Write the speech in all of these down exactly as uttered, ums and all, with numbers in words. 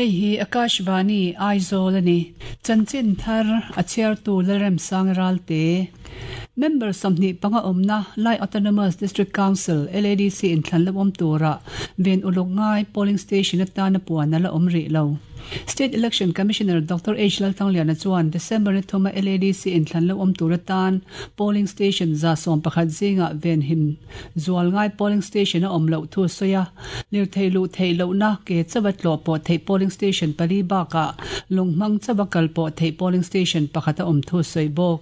Hei hi Akashvani Aizawl ani. Chanchin thar a chhiartu Lalremsang Ralte. Member sawmhnih panga awmna Lai Autonomous District Council, L A D C, inthlan lo awm tura ven uluk ngai polling station atana puan ala awm rih lo. State Election Commissioner Doctor H Lalthangliana chuan December ni thuma L A D C inthlan lo awm tur atan polling station za sawm pakhat zinga ven him zual ngai polling station a awm loh thu sawi a. Lirthei luh theih lohna, ke chawa tlawh pawh theih polling station pali bakah lunghmang chawa kal pawh theih polling station pakhat a awm thu sawi bawk.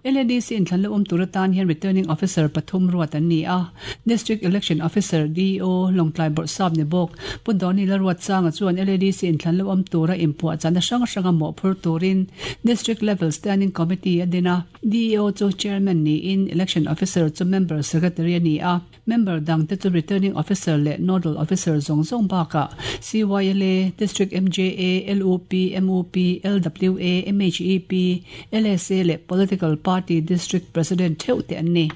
L A D C inthlan lo awm tur atan hian returning officer pathum ruat an ni a. District Election Officer, D E O, Lawngtlai Bawrhsap ni bawk Pu Doni Lalruatsanga chuan L A D C inthlan lo awm tura inpuah chana hrang hranga mawhphur turin District Level Standing Committee a din a. D E O chu chairman niin election officer chu member secretary ani a. Member dang te chu returning officer leh nodal officer zawng zawng bakah C Y L A, District M J A, L U P, M U P, L W A, M H E P, L S A leh political party district president theuh te an ni.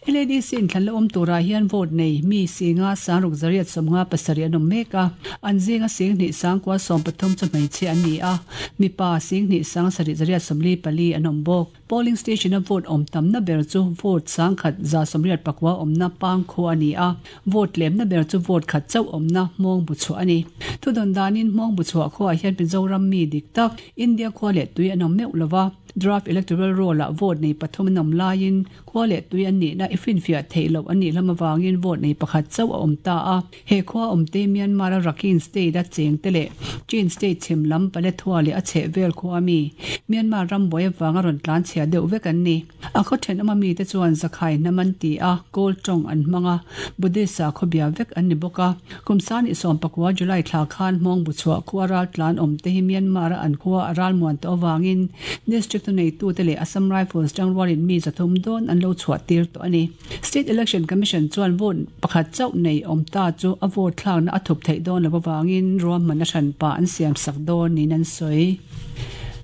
L A D C inthlan lo awm turah hian vote nei mi singa sangruk zariat sawmnga pasarih an awm mek a. An zinga sing hnih sangkua sawm pathum chu hmeichhe an ni a, mipa sing hnih sang sarih zariat sawmli pali an awm bawk. Polling station a vote awm tamna ber chu vote sangkhat za sawmriat pakua awmna Pangkhaw ani a. Vote tlemna ber chu vote khat chauh awmna Hmawng bu chhuah ani. Thudawn danin Hmawng bu chhuah khuaah hian Mizoram mi dik tak, India khua leh tui an awm meuh lova. Draft electoral roll ah vote nei pathum an awm laiin khua leh tui an nih na i finfiah theih loh an nih lam awangin vote nei pakhat chauh a awm ta a. He khua awm te Myanmar a Rakhine State a cheng te leh Chin State chhim lam Paletwa leh a chheh vel khua mi Myanmar ram buai awanga rawn tlan chhia deuh vek an ni. A khaw thenawm ami te chuan Zakhai hnam an ti a, Kawl tawng an hmang a, Buddhist a khawbia vek an ni bawk a. Kum sangni sawm pakua July thla khan Hmawng bu chhuah khua ral tlan awm te hi Myanmar a an khua a ral muan tawh awangin district tu nei tu te leh Assam Rifles tangrualin mi zathum dawn an lo chhuah tir tawh ani. State Election Commission chuan vote pakhat chauh nei awm ta chu a vote thlakna a thup theih dawn lo awangin ruahman a hranpa an siam sak dawn niin an sawi.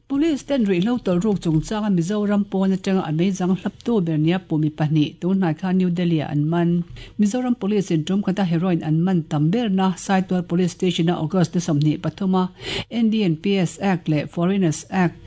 Police ten ruihhlo tawlhruk chungchanga Mizoram pawn atanga a meizang hlaptu ber nia pumi pahnih tunhnai khan New Delhi ah an man. Mizoram Police in tum khata heroin an man tam ber na Saitual Police Station a August ni sawmhnih pathuma N D P S Act leh Foreigners Act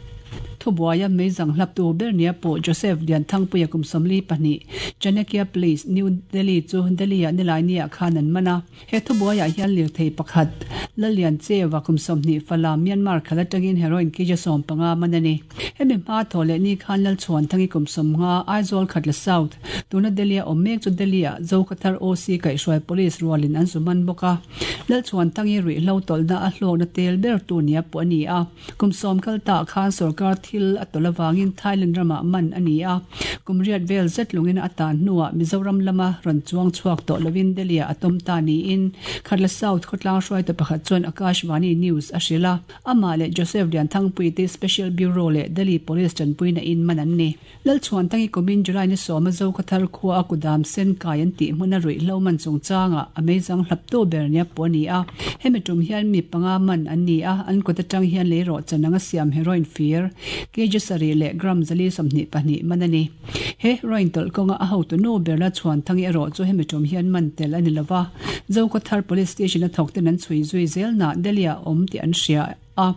thubuaia meizang hlaptu ber nia pawh Joseph Lianthangpuia, kum sawmli pahnih, Chanakya Place, New Delhi chu Delhi ah nilai ah khan an man a. He thubuaiah hian lirthei pakhat Lalian Chewa, kum sawmhnih, Falam, Myanmar khala tangin heroin kg sawm panga man ani. Hemi hma thaw leh ni khan Lalchhuan Thangi, kum sawmnga, Aizawl Khatla South, tuna Delhi a awm mek chu Delhi ah Zokhawthar O C kaihhruai police rualin an zu man bawk a. Lalchhuan Thangi ruihhlo tawlhna a hlawkna tel ber tu nia pawh ani a. Kum sawm kal ta khan sarkar thil a tawlh awangin Thailand ramah man ani a. Kum riat vel zet lungin a tan hnuah Mizoram lama rawn chuang chhuak tawh lovin Delhi ah a tawm ta niin Khatla South khawtlang hruaitu pakhat chuan Akashvani News a hrilh a. Amah leh Joseph Lianthangpui te Special Bureau leh Delhi Police tanpuina in man an ni. Lalchhuan Tangi kumin July ni sawma Zokhawthar khua a kudam sen kai an tih hmun a ruihhlo man chungchanga a meizang hlaptu ber nia pawh ani a. Hemi tum hian mi panga man an ni a. An kut atang hian leirawh chananga siam heroin fir kg sarih leh gram zali sawmhnih pahnih man ani. He heroin tawlh kawnga a hotu nu ber Lalchhuan Thangi erawh chu hemi tum hian man tel ani lova. Zokhawthar Police Station a thawk ten an chhui zui zel na Delhi ah awm tih an hria a,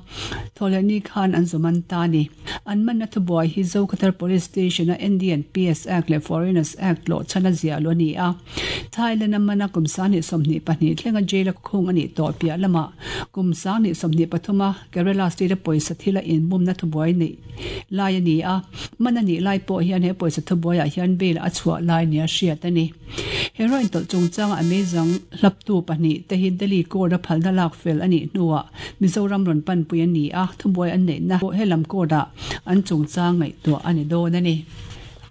thawhleh ni khan an zuman ta ni. An man na thubuai hi Zokhawthar Police Station a N D P S Act leh Foreigners Act lo chana zia lo ni a. Thailand a mana kum sangni sawmhnih pahnih thlenga jail a khung ani tawh piah lama kum sangni sawmhnih pathuma Kerala State a pawisa thila in bumna thubuai nei lai ani a. Man ani lai pawh hian he pawisa thubuai ah hian bail a chhuah lai nia hriat ani. Heroin tawlh chungchanga a meizang hlaptu pahnih te hi Delhi court a phalna lak fel ani hnuah Mizoram rawn pan pui ani a. Thubuai an neih na helam court ah an chungchang ngaihtuah ani dawn ani.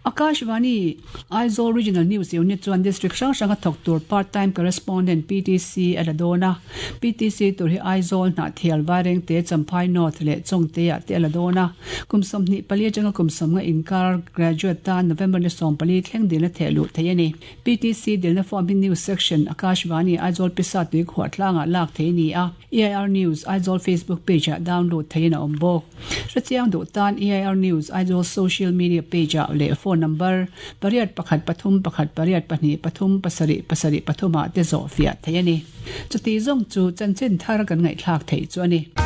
Akashvani Aizawl Regional News Unit chuan district hrang hranga thawk tur part time correspondent, P T C, a la dawn a. P T C tur hi Aizawl, Hnahthial, Vairengte, Champhai North leh Chawngte ah te a la dawn a. Kum sawmhnih pali atanga kum sawmnga inkar graduate tan November ni sawm pali thleng dilna theh luh thei ani. P T C dilna form hi News Section, Akashvani Aizawl Pisa Tuikhuah tlangah lak thei ni a. E I R News Aizawl Facebook page ah download theiin a awm bawk. Hrechiang duh tan E I R News Aizawl social media page ah leh phone phone number pariat pakhat pathum pakhat pariat pahnih pathum pasarih pasarih pathum ah te zawh fiah theih a ni. Chuti zawng chu chanchin thar kan ngaihthlak theih chu a ni.